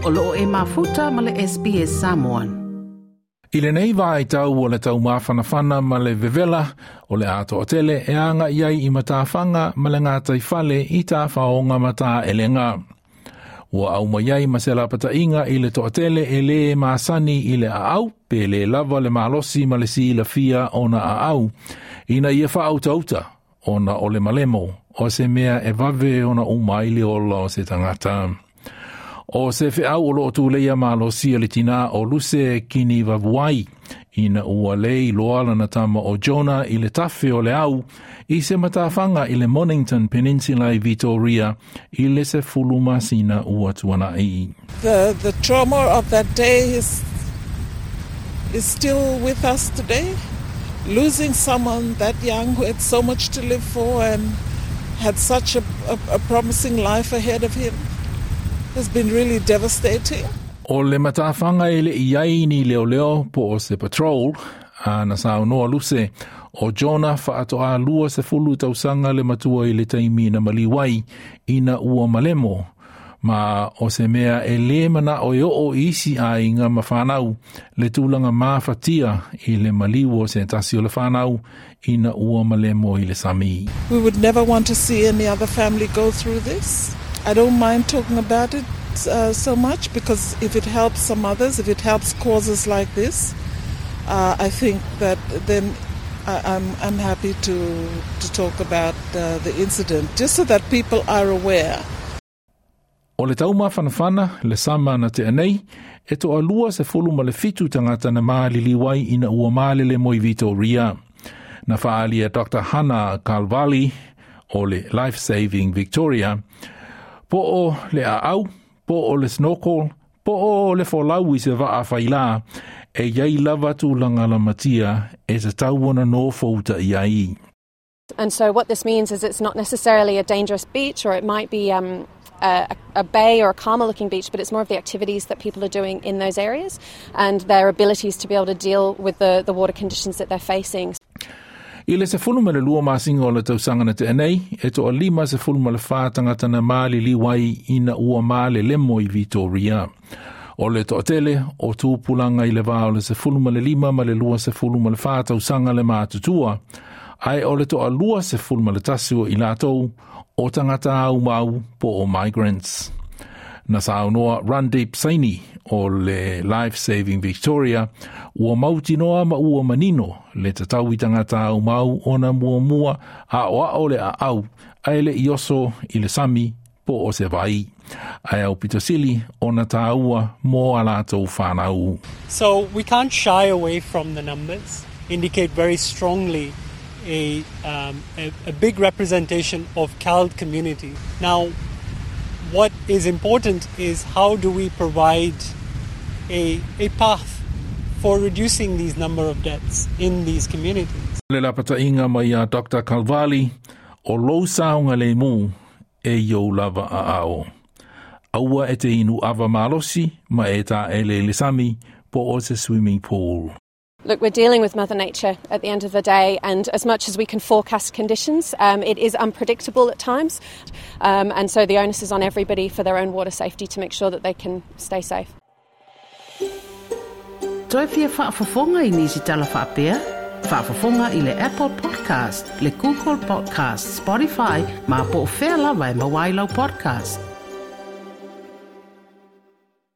O loo e mafuta ma le SBS Samoan. I lenei vaitau o le taumafanafana ma le vevela o le atoatele e aga'i ai i matafaga ma le gataifale i tafaoga ma taelega. Ua aumai ai ma se lapata'iga i le toatele e lē masani i le aau pe lē lava le malosi ma le silafia ona aau ina ia faautauta ona o le malemo o se mea e vave ona uma ai le ola o se tagata. O se feau o loo tuleia malosia le tinā o Luse Kinivavuai ina ua lē iloa lana tama o Jonah i le tafe o le au i se matafaga i le Mornington Peninsula i Victoria i le 10 masina ua tuana'i. The trauma of that day is still with us today. Losing someone that young who had so much to live for and had such a promising life ahead of him has been really devastating. O le matafaga e le'i ai ni leoleo po o se patrol a na saunoa Luse o Jonah faatoa 20 tausaga le matua i le taimi na maliu ai ina ua malemo ma o se mea e lē mana'o e oo i isi aiga ma fanau le tulaga mafatia i le maliu o se tasi o le fanau ina ua malemo i le sami. We would never want to see any other family go through this. I don't mind talking about it so much because if it helps some others, if it helps causes like this, I think that then I'm happy to talk about the incident, just so that people are aware. O le taumafanafana le sama na tea nei, e toa 27 tagata na maliliu ai ina ua malelemo i Victoria. Na faaalia Dr. Hannah Calvali o le Life Saving Victoria, po o le aau, po o le snorkel, po o le folau i se vaa failā, e iai lava tulaga lamatia e tatau ona nofouta'i ai. And so what this means is it's not necessarily a dangerous beach, or it might be a bay or a calmer looking beach, but it's more of the activities that people are doing in those areas and their abilities to be able to deal with the water conditions that they're facing. I le 12 masina o le tausaga na tea nei, e toa 54 tagata na maliliu ai ina ua malelemo i Victoria. O le toatele o tupulaga i le va o le 15 ma le 24 tausaga le matutua, ae o le toa 21 o i latou o tagata aumau po o migrants. Na saunoa Randeep Saini o le Life Saving Victoria ua mautinoa ma ua manino le tatau i tagata aumau ona muamua a'oa'o le aau ae le'i oso i le sami po o se vai. Ae aupito sili ona tāua mō a latou whanau. So we can't shy away from the numbers, indicate very strongly a big representation of CALD community. Now, what is important is how do we provide a path for reducing these number of deaths in these communities. Le lapata'iga mai a Dr. Calvali o lou saogalēmū e i ou lava aao. Aua e te inu ava malosi ma e taele i le sami po o se swimming pool. Look, we're dealing with Mother Nature at the end of the day, and as much as we can forecast conditions, it is unpredictable at times. And so the onus is on everybody for their own water safety to make sure that they can stay safe. Toe fia faafofoga i nisi tala faapea? Faafofoga i le Apple Podcast, le Google Podcast, Spotify, ma po o fea lava e maua ai lau podcast.